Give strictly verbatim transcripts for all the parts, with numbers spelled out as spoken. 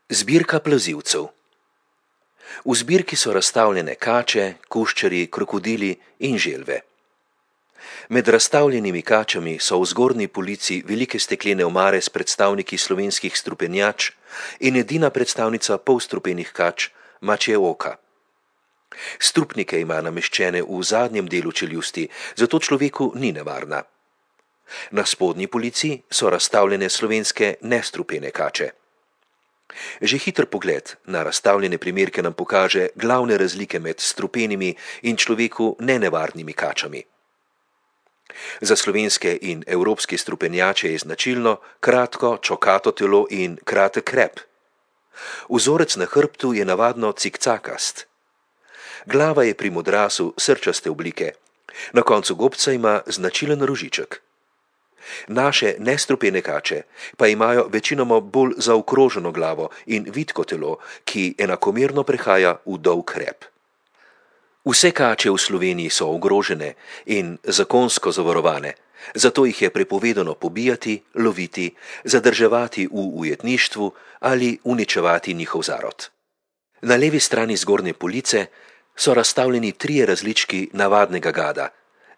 Zbirka plazilcev. V zbirki so razstavljene kače, kuščarji, krokodili in želve. Med razstavljenimi kačami so v zgornji polici velike steklene omare s predstavniki slovenskih strupenjač in edina predstavnica polstrupenih kač, mačje oka. Strupnike ima nameščene v zadnjem delu čeljusti, zato človeku ni nevarna. Na spodnji polici so razstavljene slovenske nestrupene kače. Že hiter pogled na razstavljene primerke nam pokaže glavne razlike med strupenimi in človeku nenevarnimi kačami. Za slovenske in evropske strupenjače je značilno kratko, čokato telo in kratek rep. Vzorec na hrbtu je navadno cikcakast. Glava je pri modrasu srčaste oblike, na koncu gobca ima značilen rožiček. Naše nestrupene kače pa imajo večinoma bolj zaokroženo glavo in vitko telo, ki enakomerno prehaja v dolg rep. Vse kače v Sloveniji so ogrožene in zakonsko zavarovane, zato jih je prepovedano pobijati, loviti, zadrževati v ujetništvu ali uničevati njihov zarod. Na levi strani zgornje police so razstavljeni trije različki navadnega gada,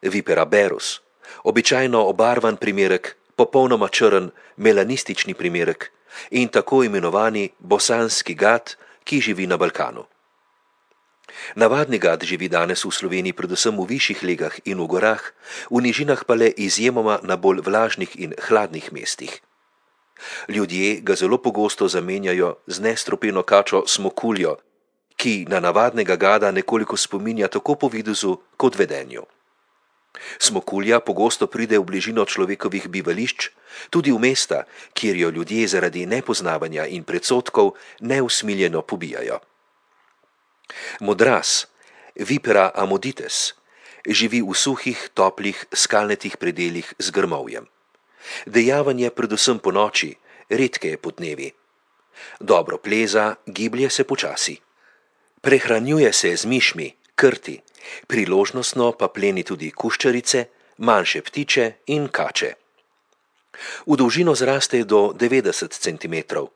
Vipera berus, običajno obarvan primerek, popolnoma črn melanistični primerek in tako imenovani bosanski gad, ki živi na Balkanu. Navadni gad živi danes v Sloveniji predvsem v višjih legah in v gorah, v nižinah pa le izjemoma na bolj vlažnih in hladnih mestih. Ljudje ga zelo pogosto zamenjajo z nestrupeno kačo smokuljo, ki na navadnega gada nekoliko spominja tako po videzu kot vedenju. Smokulja pogosto pride v bližino človekovih bivališč, tudi v mesta, kjer jo ljudje zaradi nepoznavanja in predsodkov neusmiljeno pobijajo. Modras, Vipera amodites, živi v suhih, toplih, skalnatih predelih z grmovjem. Dejaven je predvsem ponoči, redke je podnevi. Dobro pleza, giblje se počasi. Prehranjuje se z mišmi, krti, priložnostno pa pleni tudi kuščarice, manjše ptiče in kače. V dolžino zraste do devetdeset centimetrov.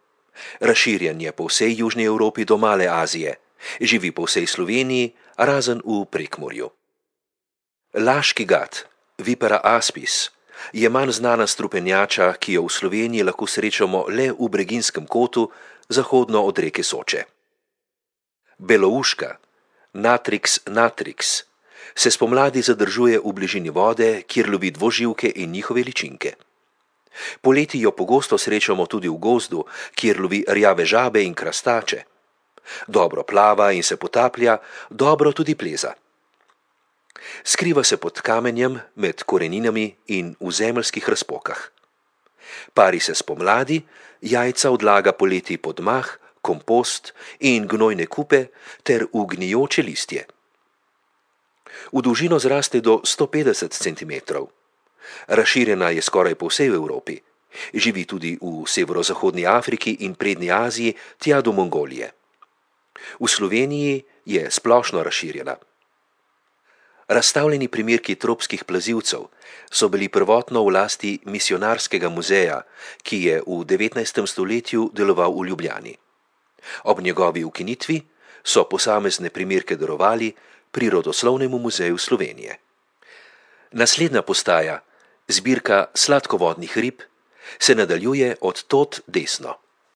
Razširjen je po vsej Južni Evropi do Male Azije, živi po vsej Sloveniji, razen v Prekmurju. Laški gad, Vipera aspis, je manj znana strupenjača, ki jo v Sloveniji lahko srečamo le v Breginjskem kotu, zahodno od reke Soče. Belouška, Natrix natrix, se spomladi zadržuje v bližini vode, kjer lovi dvoživke in njihove ličinke. Poleti jo pogosto srečamo tudi v gozdu, kjer lovi rjave žabe in krastače. Dobro plava in se potaplja, dobro tudi pleza. Skriva se pod kamenjem, med koreninami in v zemeljskih razpokah. Pari se spomladi, jajca odlaga poleti pod mah, kompost in gnojne kupe ter v gnijoče listje. V dolžino zraste do sto petdeset centimetrov. Razširjena je skoraj po vsej Evropi. Živi tudi v severozahodni Afriki in prednji Aziji tja do Mongolije. V Sloveniji je splošno razširjena. Razstavljeni primerki tropskih plazilcev so bili prvotno v lasti Misijonarskega muzeja, ki je v devetnajstem stoletju deloval v Ljubljani. Ob njegovi ukinitvi so posamezne primerke darovali Prirodoslovnemu muzeju Slovenije. Naslednja postaja, zbirka sladkovodnih rib, se nadaljuje od tod desno.